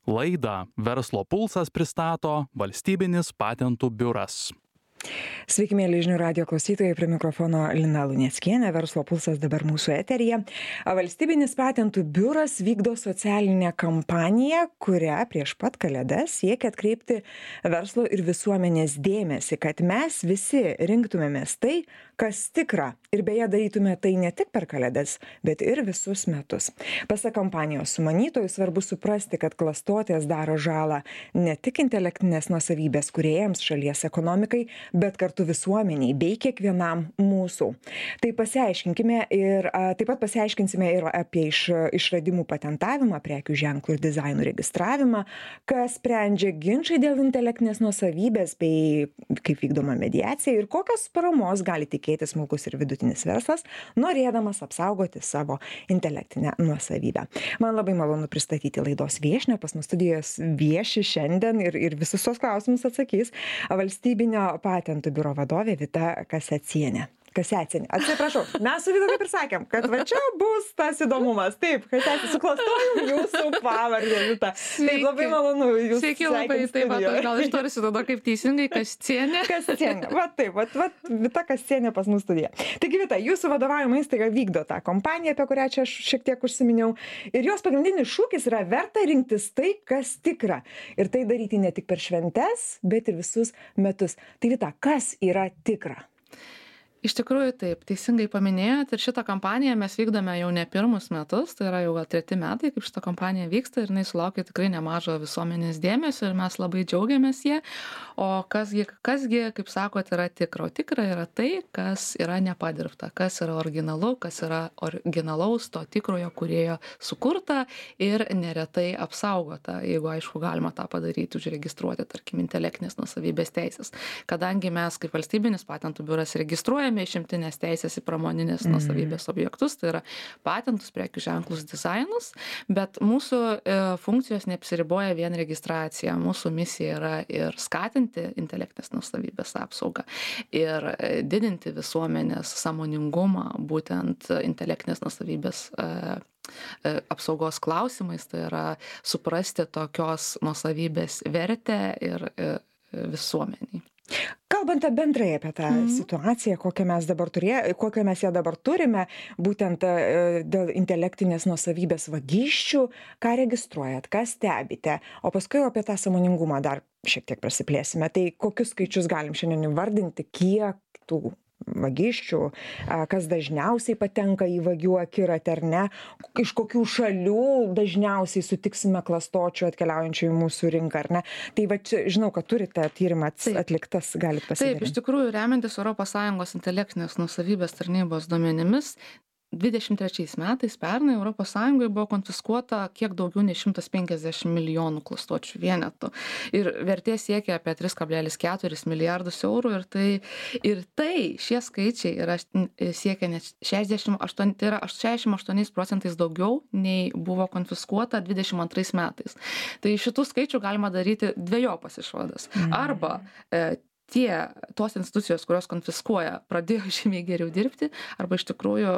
Laidą Verslo pulsas pristato Valstybinis patentų biuras. Sveiki, mėly žinių radijo klausytojai, prie mikrofono Lina Luneckienė, Verslo pulsas dabar mūsų eteryje. Valstybinis patentų biuras vykdo socialinę kampaniją, kurią prieš pat Kalėdas siekia atkreipti verslo ir visuomenės dėmesį, kad mes visi rinktumėmės tai, kas tikra, ir beje darytume tai ne tik per Kalėdas, bet ir visus metus. Pasak kampanijos sumanytojų svarbu suprasti, kad klastotės daro žalą ne tik intelektinės nuosavybės kūrėjams, šalies ekonomikai, bet kartu visuomeniai bei kiekvienam mūsų. Tai pasiaiškinkime ir taip pat pasiaiškinsime ir apie išradimų patentavimą, prekių ženklų ir dizainų registravimą, kas sprendžia ginčai dėl intelektinės nuosavybės bei kaip vykdoma mediacija ir kokios paramos gali tikėtis smulkus ir vidutinis verslas, norėdamas apsaugoti savo intelektinę nuosavybę. Man labai malonu pristatyti laidos viešnią, pas mus studijos vieši šiandien ir visus tos klausimus atsakys Valstybinio patentų biuro vadovė Vita Kasecienė. Atsiprašau, mes su Vita taip ir sakėm, kad va čia bus tas įdomumas. Taip, kad suklastojom jūsų pavardę, Vita. Taip, labai malonu jūs. Sveiki, labai, taip, gal ištarsiu tada kaip teisingai, Kascienė. Kascienė, va taip, va Vita Kascienė pas mus studija. Taigi, Vita, jūsų vadovaujama įstaiga vykdo tą kompaniją, apie kurią čia aš šiek tiek užsiminiau. Ir jos pagrindinis šūkis yra verta rinktis tai, kas tikra. Ir tai daryti ne tik per šventes, bet ir visus metus. Tai, Vita, kas yra tikra? Iš tikrųjų taip, teisingai paminėjot ir šitą kampaniją mes vykdome jau ne pirmus metus, tai yra jau 3 metai, kaip šitą kampaniją vyksta ir jinai sulaukia tikrai nemažo visuomenės dėmesio ir mes labai džiaugiamės jie. O kasgi, kaip sakot, yra tikra? O tikra yra tai, kas yra nepadirbta, kas yra originalu, kas yra originalaus to tikrojo kūrėjo sukurta ir neretai apsaugota, jeigu aišku galima tą padaryti, užregistruoti, tarkim, intelektinės nuosavybės teisės. Kadangi mes kaip Valstybinis patentų biuras registruojame išimtinės teisės į pramoninės nuosavybės objektus, tai yra patentus, prekių ženklus, dizainus, bet mūsų funkcijos neapsiriboja vien registracija. Mūsų misija yra ir skatinti intelektinės nuosavybės apsaugą ir didinti visuomenės sąmoningumą būtent intelektinės nuosavybės apsaugos klausimais, tai yra suprasti tokios nuosavybės vertę ir visuomeniai. Kalbant bendrai apie tą situaciją, kokią mes ją dabar turime, būtent dėl intelektinės nuosavybės vagysčių, ką registruojat, ką stebite, o paskui apie tą sąmoningumą dar šiek tiek prasiplėsime. Tai kokius skaičius galim šiandien įvardinti, kiek tų vagysčių, kas dažniausiai patenka į vagių akiratį ar ne, iš kokių šalių dažniausiai sutiksime klastočių atkeliaujančių į mūsų rinką ar ne. Tai va čia žinau, kad turite tyrimą atliktas, galite pasidalinti. Taip, iš tikrųjų, remiantis ES intelektinės nuosavybės tarnybos duomenimis, 23 metais pernai ES buvo konfiskuota kiek daugiau nei 150 milijonų klastočių vienetų. Ir vertė siekia apie 3,4 milijardus eurų ir tai šie skaičiai siekia net 68% daugiau nei buvo konfiskuota 22 metais. Tai šitų skaičių galima daryti dvejopas išvadas. Arba tos institucijos, kurios konfiskuoja, pradėjo žymiai geriau dirbti, arba iš tikrųjų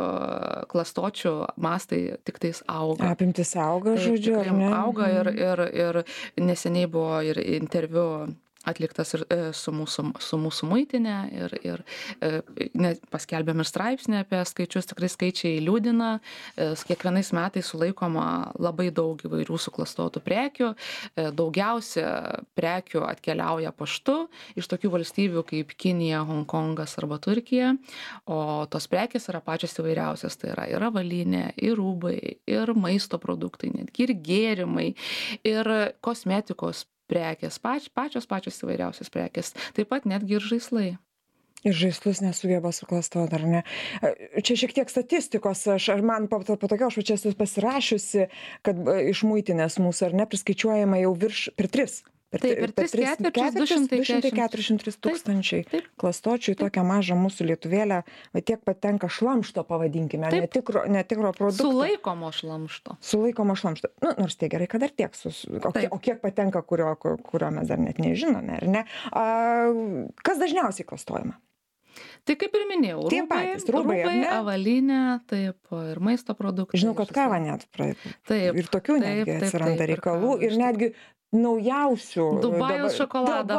klastočių mastai tik tais auga. Apimtis auga, žodžiu, ar ne? Auga ir neseniai buvo ir interviu atliktas ir su mūsų muitinė ir paskelbėm ir straipsnį apie skaičius, tikrai skaičiai liūdina, kiekvienais metais sulaikoma labai daug įvairių suklastotų prekių, daugiausia prekių atkeliauja paštu iš tokių valstybių kaip Kinija, Hongkongas arba Turkija, o tos prekės yra pačios įvairiausios, tai yra ir avalynė, ir rūbai, ir maisto produktai, netgi ir gėrimai, ir kosmetikos prekės, pačios įvairiausios prekės, taip pat netgi ir žaislai. Ir žaislus nesugeba suklastoti, ar ne? Čia šiek tiek statistikos, man po tokio aš čia esu pasirašiusi, kad iš muitinės mūsų, ar ne, priskaičiuojama jau per 3 Per 3 ketvirčius 243 tūkstančiai klastočių į tokią mažą mūsų lietuvėlę, va tiek patenka šlamšto, pavadinkime, netikro produkto. Sulaikomo šlamšto. Sulaikomo šlamšto. Nu, nors tai gerai, kad dar tiek. O kiek patenka, kurio mes dar net nežinome, ar ne? Kas dažniausiai klastojama? Tai kaip ir minėjau, Tie patys rūbai, ar ne? avalynė, taip, ir maisto produktai. Žinau, kad kava net Taip, ir tokių netgi atsiranda reikalų ir netgi naujausių. Dubajaus šokoladą.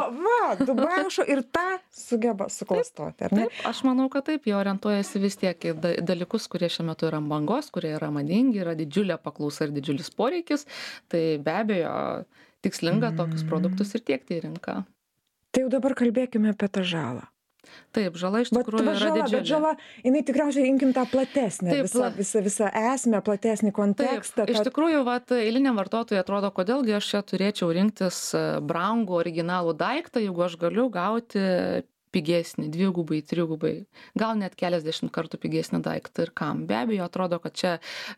Dubajaus ir tą sugeba suklastoti, ar ne? Taip, aš manau, kad taip, jie orientuojasi vis tiek į dalykus, kurie šiuo metu yra ant bangos, kurie yra madingi, yra didžiulė paklausa ir didžiulis poreikis, tai be abejo tikslinga tokius produktus ir tiekti į rinką. Tai jau dabar kalbėkime apie tą žalą. Taip, žala iš tikrųjų yra didžiulė. Bet žala, jinai tikriausiai imkim tą platesnę, visą esmę, platesnį kontekstą. Taip, iš tikrųjų, eiliniam vartotojui atrodo, kodėlgi aš čia turėčiau rinktis brangų originalų daiktą, jeigu aš galiu gauti pigesnį, 2, 3, gal net keliasdešimt kartų pigesnį daiktą ir kam. Be abejo, atrodo, kad čia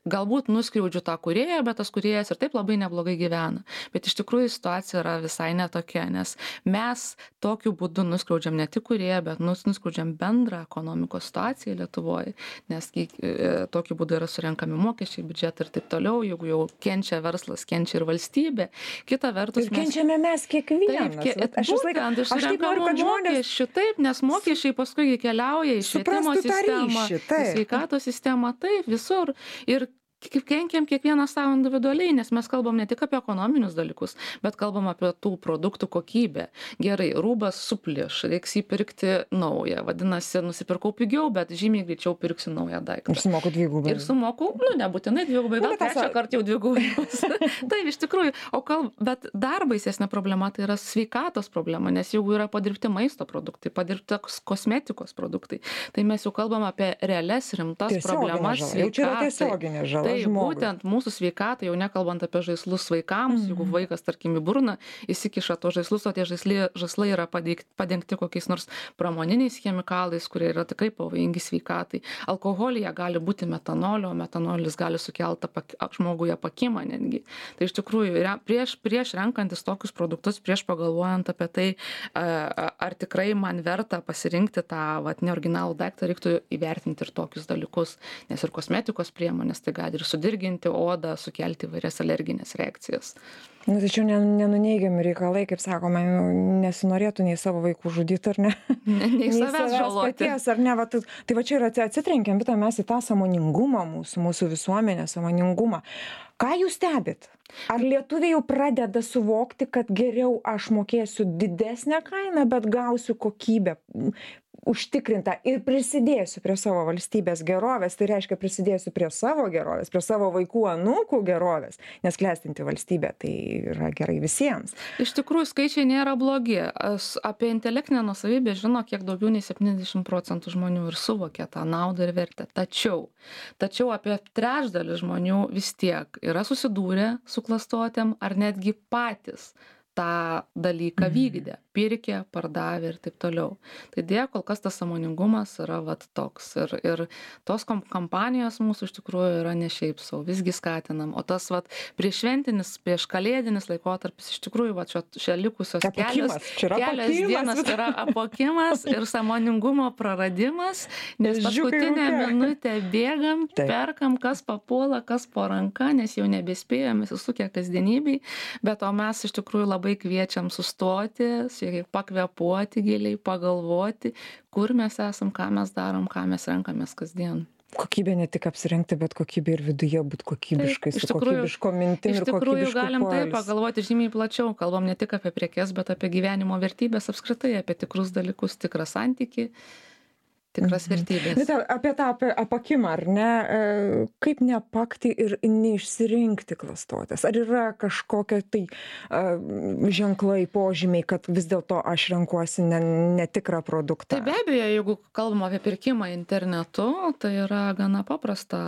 galbūt nuskriaudžiu tą kūrėją, bet tas kūrėjas ir taip labai neblogai gyvena. Bet iš tikrųjų situacija yra visai netokia, nes mes tokiu būdu nuskriaudžiam ne tik kūrėją, bet nuskriaudžiam bendrą ekonomikos situaciją Lietuvoje, nes tokiu būdu yra surenkami mokesčiai, biudžetai ir taip toliau, jeigu jau kenčia verslas, kenčia ir valstybė. Kita vertus, ir kenčiame mes kiekvienas. Taip, nes mokesčiai paskui keliauja į švietimo sistemą, į sveikatos sistemą, taip, visur. Ir kenkiam kiekvieną savo individualiai, nes mes kalbam ne tik apie ekonominius dalykus, bet kalbam apie tų produktų kokybę. Gerai, rūbas supliš, reiks jį pirkti naują. Vadinasi, nusipirkau pigiau, bet žymiai greičiau pirksiu naują daiktą. Ir sumoku 2. Ir sumoku, nebūtinai 2, gal 3 kartą jau 2. Taip, iš tikrųjų. Bet dar baisesnė problema tai yra sveikatos problema, nes jeigu yra padirbti maisto produktai, padirbti kosmetikos produktai, tai mes jau kalbam apie realias rimtas problemas sveikatai. Tai būtent mūsų sveikatai, jau nekalbant apie žaislus vaikams, jeigu vaikas, tarkim, į burną įsikiša to žaislus, o tie žaislai yra padengti kokiais nors pramoniniais chemikalais, kurie yra tikrai pavojingi sveikatai. Alkoholyje gali būti metanolio, o metanolis gali sukelti žmoguje apakimą netgi. Tai iš tikrųjų, prieš renkantis tokius produktus, prieš pagalvojant apie tai, ar tikrai man verta pasirinkti tą neoriginalų daiktą, reiktų įvertinti ir tokius dalykus, nes ir kosmetikos priemonės tai gali ir sudirginti odą, sukelti įvairias alerginės reakcijas. Tačiau nenuneigiami reikalai, kaip sakoma, nesinorėtų nei savo vaikų žudyti, ar ne? Nei savęs žaloti. Paties, ar ne? Tai va čia ir atsitrenkiam mes į tą sąmoningumą, mūsų visuomenės sąmoningumą. Ką jūs stebit? Ar lietuviai jau pradeda suvokti, kad geriau aš mokėsiu didesnę kainą, bet gausiu kokybę užtikrintą ir prisidėsiu prie savo valstybės gerovės, tai reiškia prisidėsiu prie savo gerovės, prie savo vaikų anūkų gerovės, nes klestinti valstybė tai yra gerai visiems. Iš tikrųjų, skaičiai nėra blogi. Apie intelektinę nuosavybę žino kiek daugiau nei 70% žmonių ir suvokia tą naudą ir vertę. Tačiau apie trečdalis žmonių vis tiek yra susidūrę su klastotėm ar netgi patys tą dalyką vykdė, pirkė, pardavė ir taip toliau. Tai dėja, kol kas tas sąmoningumas yra toks. Ir tos kampanijos mūsų iš tikrųjų yra ne šiaip sau, visgi skatinam. O tas prieššventinis, prieškalėdinis laikotarpis iš tikrųjų čia likusios kelios dienos yra apakimas ir sąmoningumo praradimas, nes paskutinę minutę bėgam, perkam, kas papuola, kas po ranka, nes jau nebespėjom įsisukę kasdienybei, bet o mes iš tikrųjų labai kviečiam sustoti, pakvėpuoti giliai, pagalvoti, kur mes esam, ką mes darom, ką mes renkamės kasdien. Kokybė ne tik apsirengti, bet kokybė ir viduje būti kokybiškai, su kokybiško mintim ir kokybišku poilsiu. Iš tikrųjų galim taip pagalvoti žymiai plačiau, kalbam ne tik apie prekes, bet apie gyvenimo vertybės apskritai, apie tikrus dalykus, tikrą santykį, tikras vertybės. Bet apie tą apakimą, ar ne, kaip neapakti ir neišsirinkti klastotės? Ar yra kažkokie tai ženklai, požymiai, kad vis dėlto aš renkuosi netikrą produktą? Tai be abejo, jeigu kalbam apie pirkimą internetu, tai yra gana paprasta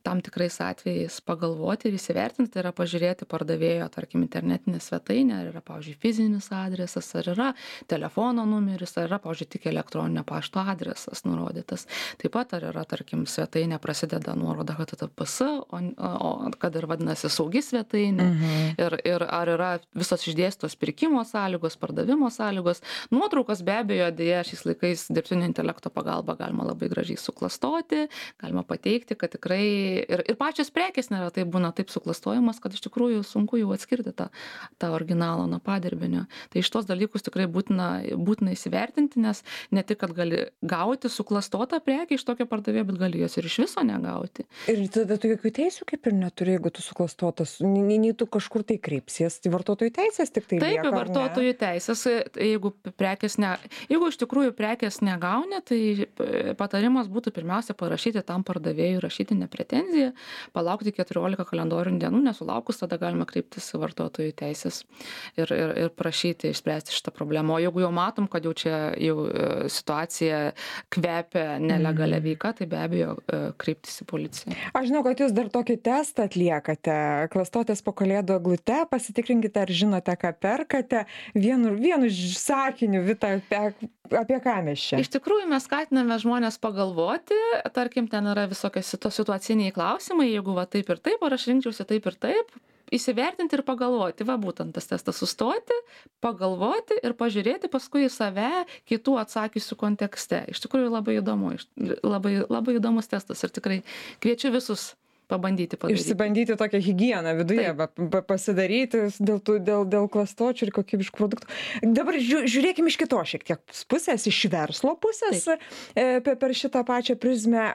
tam tikrais atvejais pagalvoti ir įsivertinti, tai yra pažiūrėti pardavėjo, tarkim, internetinę svetainę, ar yra, pavyzdžiui, fizinis adresas, ar yra telefono numeris, ar yra, pavyzdžiui, tik elektroninio pašto adresas. pakeistas, nurodytas. Taip pat ar yra, tarkim, svetainė prasideda nuoroda HTTPS, o kad ir vadinasi saugi svetainė, ir ar yra visos išdėstos pirkimo sąlygos, pardavimo sąlygos. Nuotraukas be abejo, dėja, šiais laikais dirbtinio intelekto pagalba galima labai gražiai suklastoti, galima pateikti, kad tikrai ir pačios prekės neretai būna taip suklastojimas, kad iš tikrųjų sunku jau atskirti tą originalą nuo padirbinio. Tai iš tos dalykus tikrai būtina įsivertinti, nes ne tik, kad gali gauti suklastotą prekę iš tokio pardavėjo, bet gali jos ir iš viso negauti. Ir tada tu jokių teisių kaip ir neturi, jeigu tu suklastotas, nei tu kažkur tai kreipsies, tai vartotojų teisės tik tai lieka, taip, vartotojų teisės, jeigu iš tikrųjų prekės negauni, tai patarimas būtų pirmiausia parašyti tam pardavėjui rašytinę pretenziją, palaukti 14 kalendorinių dienų, nesulaukus, tada galima kreiptis į vartotojų teisės ir prašyti išspręsti šitą problemą. O jeigu jau matom, kad jau čia situacija kvepia nelegalia veika, tai be abejo kreiptis į policiją. Aš žinau, kad jūs dar tokį testą atliekate. Klastotės po kalėdų eglute, pasitikrinkite, ar žinote, ką perkate. Vienu sakiniu, Vita, apie ką mes čia? Iš tikrųjų, mes skatiname žmonės pagalvoti, tarkim, ten yra visokie situaciniai klausimai, jeigu va taip ir taip, ar aš rinkčiausi taip ir taip, įsivertinti ir pagalvoti, va būtent tas testas sustoti, pagalvoti ir pažiūrėti paskui į save kitų atsakysių kontekste. Iš tikrųjų labai įdomu, labai įdomus testas ir tikrai kviečiu visus pabandyti padaryti. Išsibandyti tokią higieną viduje, pasidaryti dėl klastočių ir kokybiškų produktų. Dabar žiūrėkime iš kitos šiek tiek pusės, iš verslo pusės per šitą pačią prizmę.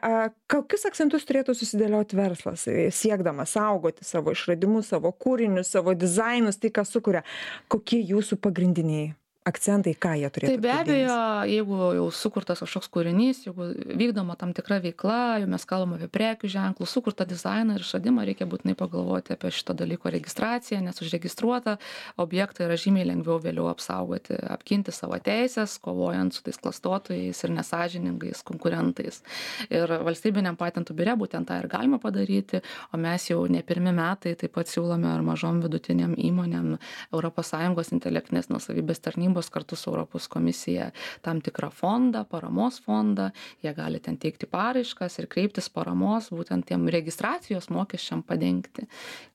Kokius akcentus turėtų susidėlioti verslas, siekdamas saugoti savo išradimus, savo kūrinius, savo dizainus, tai ką sukuria? Kokie jūsų pagrindiniai akcentai, ką jie turėtų? Tai be abejo, jeigu jau sukurtas kažkoks kūrinys, jeigu vykdoma tam tikra veikla, jau mes kalbame apie prekių ženklų, sukurtą dizainą ir išradimą, reikia būtinai pagalvoti apie šito dalyko registraciją, nes užregistruotą objektą yra žymiai lengviau vėliau apsaugoti, apginti savo teisės, kovojant su tais klastotojais ir nesąžiningais konkurentais. Ir valstybiniam patentų biure būtent tą ir galima padaryti, o mes jau ne pirmi metai taip pat siūlome ir mažom vidutiniam įmonėm ES intelektinės nuosavybės tarnybos kartu su Europos komisija tam tikrą fondą, paramos fondą, jie gali ten teikti paraiškas ir kreiptis paramos būtent tiem registracijos mokesčiam padengti.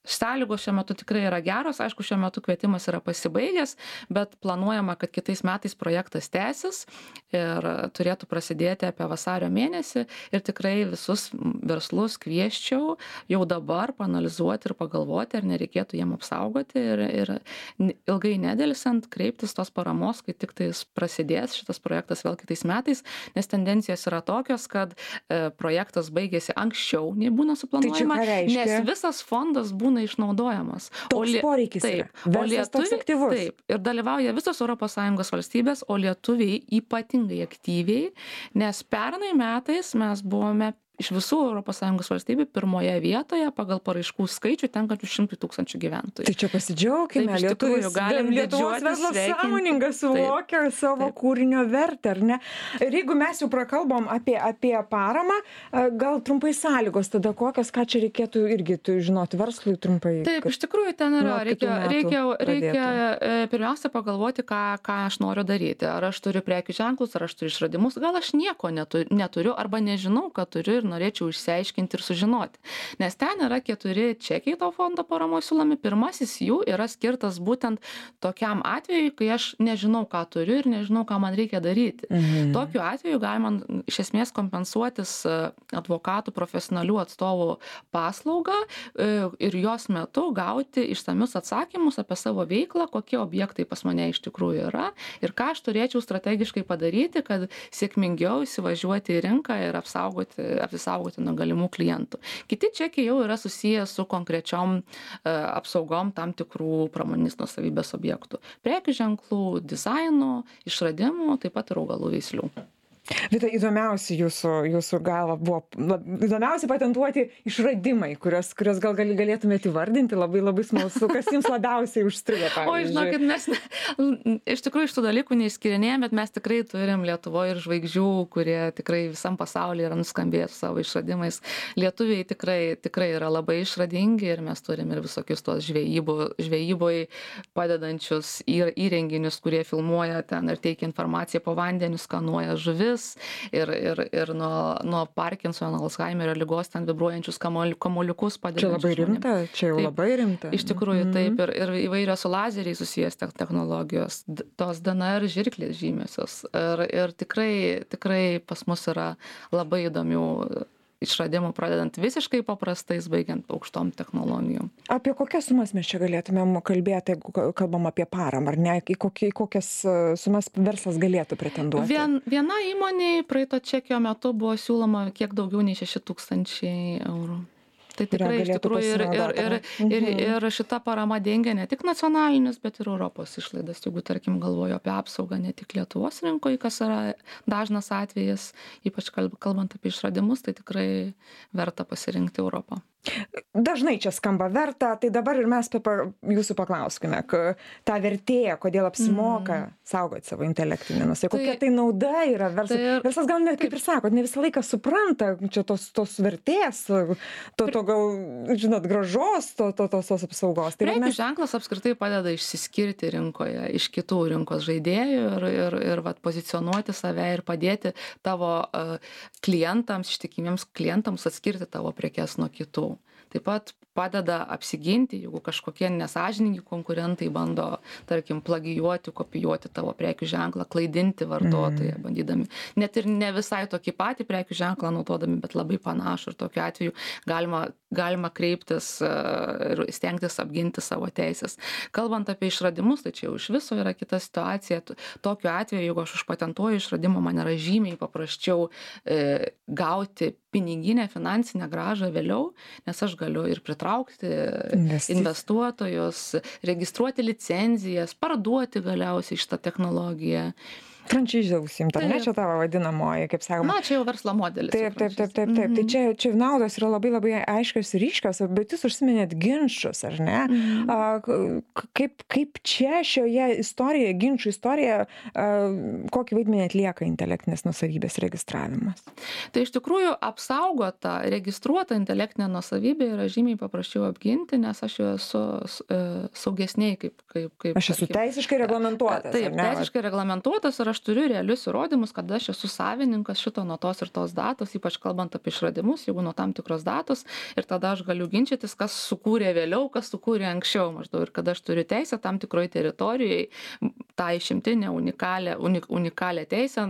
Sąlygos šiuo metu tikrai yra geros, aišku, šiuo metu kvietimas yra pasibaigęs, bet planuojama, kad kitais metais projektas tęsis ir turėtų prasidėti apie vasario mėnesį ir tikrai visus verslus kviesčiau jau dabar paanalizuoti ir pagalvoti, ar nereikėtų jiem apsaugoti ir ilgai nedelsant kreiptis tos paramos, kai tik tais prasidės šitas projektas vėl kitais metais, nes tendencijos yra tokios, kad projektas baigėsi anksčiau, nei būna suplanuojama, nes visas fondas būna išnaudojamas. Toks poreikis yra. Verslas toks aktyvus. Taip, ir dalyvauja visos ES valstybės, o lietuviai ypatingai aktyviai, nes pernai metais mes buvome iš visų ES valstybių pirmoje vietoje pagal paraiškų skaičių tenkančių 100 000 gyventojų. Tai čia pasidžiaugime, Lietuvos verslas sąmoningas suvokia savo kūrinio vertę, ar ne? Ir jeigu mes jau prakalbom apie paramą, gal trumpai sąlygos tada kokios, ką čia reikėtų irgi žinoti verslui trumpai? Taip, iš tikrųjų ten yra, reikia pirmiausia pagalvoti, ką aš noriu daryti. Ar aš turiu prekių ženklus, ar aš turiu išradimus, gal aš nieko neturiu arba nežinau, ką turiu ir norėčiau išsiaiškinti ir sužinoti. Nes ten yra 4 čekiai to fondo paramos siūlomi. Pirmasis jų yra skirtas būtent tokiam atvejui, kai aš nežinau, ką turiu ir nežinau, ką man reikia daryti. Tokiu atveju galima iš esmės kompensuotis advokatų profesionalių atstovų paslaugą ir jos metu gauti išsamius atsakymus apie savo veiklą, kokie objektai pas mane iš tikrųjų yra ir ką aš turėčiau strategiškai padaryti, kad sėkmingiau įsivažiuoti į rinką ir apsisaugoti nuo galimų klientų. Kiti čekiai jau yra susiję su konkrečiom apsaugom tam tikrų pramoninės nuosavybės objektų. Prekių ženklų, dizaino, išradimų, taip pat ir augalų veislių. Vita, įdomiausi jūsų galva buvo, įdomiausi patentuoti išradimai, kurios gal galėtumėte įvardinti, labai smalsu, kas jums labiausiai užstrigo, pavyzdžiui. O, žinokit, mes iš tikrųjų iš tų dalykų neišskirinėjame, bet mes tikrai turim Lietuvoje ir žvaigždžių, kurie tikrai visam pasaulyje yra nuskambėję su savo išradimais. Lietuviai tikrai yra labai išradingi ir mes turim ir visokius tos žvejyboje padedančius įrenginius, kurie filmuoja ten ir teikia informaciją po vandeniu, skanuoja žuvis, širdis ir nuo Parkinsono, Alzheimerio ligos ten vibruojančius kamuoliukus padedančius. Čia labai rimta, čia jau labai rimta. Iš tikrųjų, taip, ir įvairios su lazeriai susijęs technologijos, tos DNR žirklės žymiosios. Ir tikrai pas mus yra labai įdomių išradimų, pradedant visiškai paprastais, baigiant aukštom technologijom. Apie kokias sumas mes čia galėtumėm kalbėti, jeigu kalbam apie paramą, ar ne? Į kokias sumas verslas galėtų pretenduoti? Viena įmonė praeito čekio metu buvo siūloma kiek daugiau nei 6,000 eurų. Tai tikrai iš tikrųjų ir šita parama dengia ne tik nacionalinius, bet ir Europos išlaidas. Jeigu, tarkim, galvoju apie apsaugą ne tik Lietuvos rinkoje, kas yra dažnas atvejis, ypač kalbant apie išradimus, tai tikrai verta pasirinkti Europą. Dažnai čia skamba verta, tai dabar ir mes jūsų paklauskime, ta vertė, kodėl apsimoka saugoti savo intelektinį nusavybę, kokia tai nauda yra verslas. Verslas gal net, kaip ir sakot, ne visą laiką supranta čia tos vertės, to gal, žinot, gražos, tos apsaugos. Prekių ženklas apskritai padeda išsiskirti rinkoje iš kitų rinkos žaidėjų ir pozicionuoti save ir padėti tavo klientams, ištikimiems klientams atskirti tavo prekes nuo kitų. Taip pat padeda apsiginti, jeigu kažkokie nesąžiningi konkurentai bando, tarkim, plagijuoti, kopijuoti tavo prekių ženklą, klaidinti vartotoją, bandydami. Net ir ne visai tokį patį prekių ženklą naudodami, bet labai panašų. Ir tokiu atveju galima kreiptis ir stengtis apginti savo teisės. Kalbant apie išradimus, tai čia jau iš viso yra kita situacija. Tokiu atveju, jeigu aš užpatentuoju išradimą, man yra žymiai paprasčiau gauti piniginę finansinę grąžą vėliau, nes aš galiu ir pritraukti investuotojus, registruoti licenzijas, parduoti galiausiai šitą technologiją. Frančizę užsiimti, ar ne, čia tavo vadinamoji, kaip sakoma. Na, čia jau verslo modelis. Taip. Tai čia naudos yra labai aiškios ir ryškios, bet jūs užsiminėt ginčus, ar ne? Kaip čia šioje istorijoje, ginčų istorijoje, kokį vaidmenį atlieka intelektinės nusavybės registravimas? Tai iš tikrųjų apsaugota, registruota intelektinė nusavybė yra žymiai paprasčiau apginti, nes aš jau esu saugesniai kaip aš esu teisiškai reglamentuotas. Taip, teisiškai reglamentuotas ir aš turiu realius įrodymus, kad aš esu savininkas šito nuo tos ir tos datos, ypač kalbant apie išradimus, jeigu nuo tam tikros datos, ir tada aš galiu ginčytis, kas sukūrė vėliau, kas sukūrė anksčiau maždaug, ir kada aš turiu teisę tam tikroje teritorijoje, tą išimtinę unikalią teisę,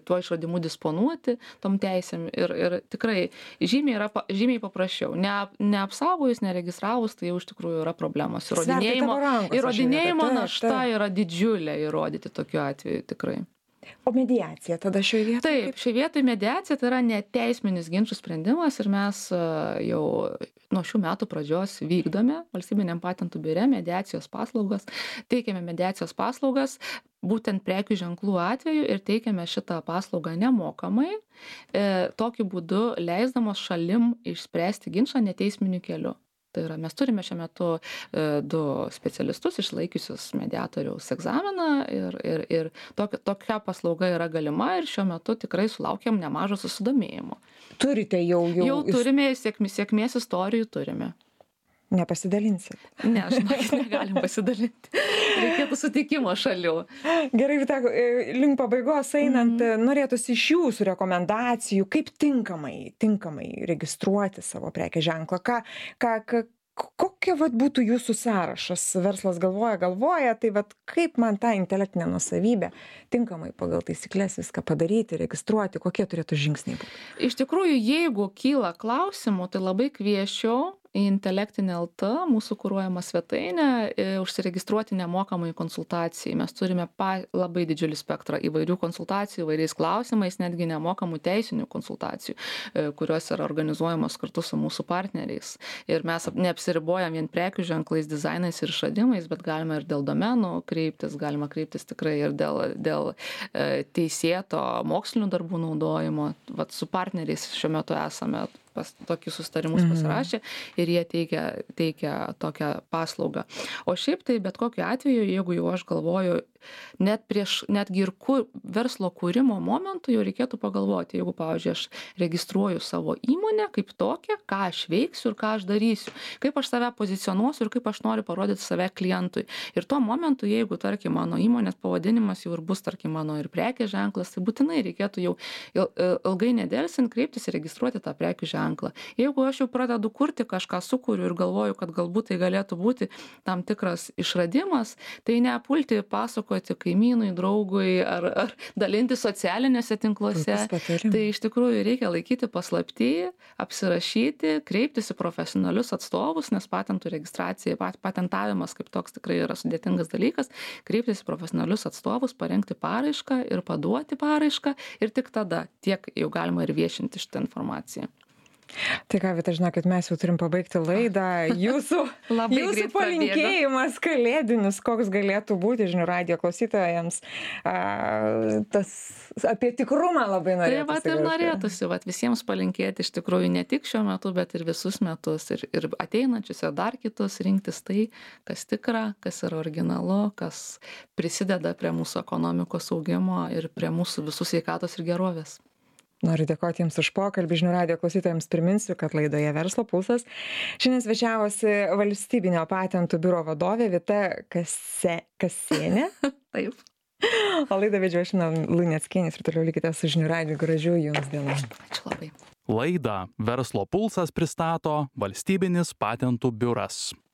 tuo išradimu disponuoti tom teisėm ir tikrai žymiai paprasčiau. Neapsaugojus, neregistravus, tai jau iš tikrųjų yra problemos. Įrodinėjimo našta yra didžiulė įrodyti tokiu atveju tikrai. O mediacija tada šioje vietoje? Taip, šioje vietoje mediacija tai yra neteisminis ginčų sprendimas ir mes jau nuo šių metų pradžios vykdome Valstybiniam patentų biure mediacijos paslaugas, teikiame mediacijos paslaugas būtent prekių ženklų atveju ir teikiame šitą paslaugą nemokamai, tokiu būdu leisdamos šalim išspręsti ginčą neteisminiu keliu. Tai yra, mes turime šiuo metu 2 specialistus išlaikiusius mediatoriaus egzaminą ir tokia paslauga yra galima ir šiuo metu tikrai sulaukiam nemažo susidomėjimo. Turite jau turime, sėkmės istorijų turime. Nepasidalinsit? Ne, žinokit, negalim pasidalinti. Reikėtų sutikimo šalių. Gerai, Vita, link pabaigos einant, norėtųsi iš jūsų rekomendacijų, kaip tinkamai registruoti savo prekės ženklą. Kokia būtų jūsų sąrašas? Verslas galvoja, tai kaip man tą intelektinę nusavybę tinkamai pagal taisyklės viską padaryti, registruoti, kokie turėtų žingsniai būti? Iš tikrųjų, jeigu kyla klausimų, tai labai kviesčiau į Intelektinė LT, mūsų kuruojama svetainė, užsiregistruoti nemokamai konsultacijai. Mes turime labai didžiulį spektrą įvairių konsultacijų, įvairiais klausimais, netgi nemokamų teisinių konsultacijų, kurios yra organizuojamos kartu su mūsų partneriais. Ir mes neapsiribojam vien prekių ženklais, dizainais ir išradimais, bet galima ir dėl domenų kreiptis, galima kreiptis tikrai ir dėl teisėto mokslinių darbų naudojimo. Vat su partneriais šiuo metu esame tokius susitarimus pasirašė ir jie teikia tokią paslaugą. O šiaip tai bet kokiu atveju, jeigu jau aš galvoju netgi ir verslo kūrimo momentu jau reikėtų pagalvoti, jeigu, pavyzdžiui, aš registruoju savo įmonę kaip tokią, ką aš veiksiu ir ką aš darysiu, kaip aš save pozicionuosiu ir kaip aš noriu parodyti save klientui. Ir tuo momentu, jeigu, tarkim, mano įmonės pavadinimas jau ir bus, tarkim, mano ir prekės ženklas, tai būtinai reikėtų jau ilgai nedelsint kreiptis ir registruoti tą prekių ženklą. Jeigu aš jau pradedu kurti kažką, sukuriu ir galvoju, kad galbūt tai galėtų būti tam tikras išradimas, tai nepulti pasakoti kaimynui, draugui ar dalinti socialinėse tinkluose. Tai iš tikrųjų reikia laikyti paslapty, apsirašyti, kreiptis į profesionalius atstovus, nes patentų registracija, patentavimas kaip toks tikrai yra sudėtingas dalykas, kreiptis į profesionalius atstovus, parengti paraišką ir paduoti paraišką ir tik tada tiek jau galima ir viešinti šitą informaciją. Tai ką, Vita, žinokit, mes jau turim pabaigti laidą. Jūsų palinkėjimas kalėdinis, koks galėtų būti žinių radijo klausytojams, tas apie tikrumą labai norėtųsi. Tai vat ir norėtųsi visiems palinkėti iš tikrųjų ne tik šiuo metu, bet ir visus metus ir ateinančius ir dar kitus rinktis tai, kas tikra, kas yra originalu, kas prisideda prie mūsų ekonomikos augimo ir prie mūsų visų sveikatos ir gerovės. Noriu dėkoti Jums už pokalbį. Žinių radijo klausytojams priminsiu, kad laidoje Verslo pulsas šiandien svečiavosi Valstybinio patentų biuro vadovė Vita Kasienė. Taip. O laidą vedžiau aš Luneckienė ir toliau likite su Žinių radiju. Gražių Jums dienų. Ačiū labai. Laidą Verslo pulsas pristato Valstybinis patentų biuras.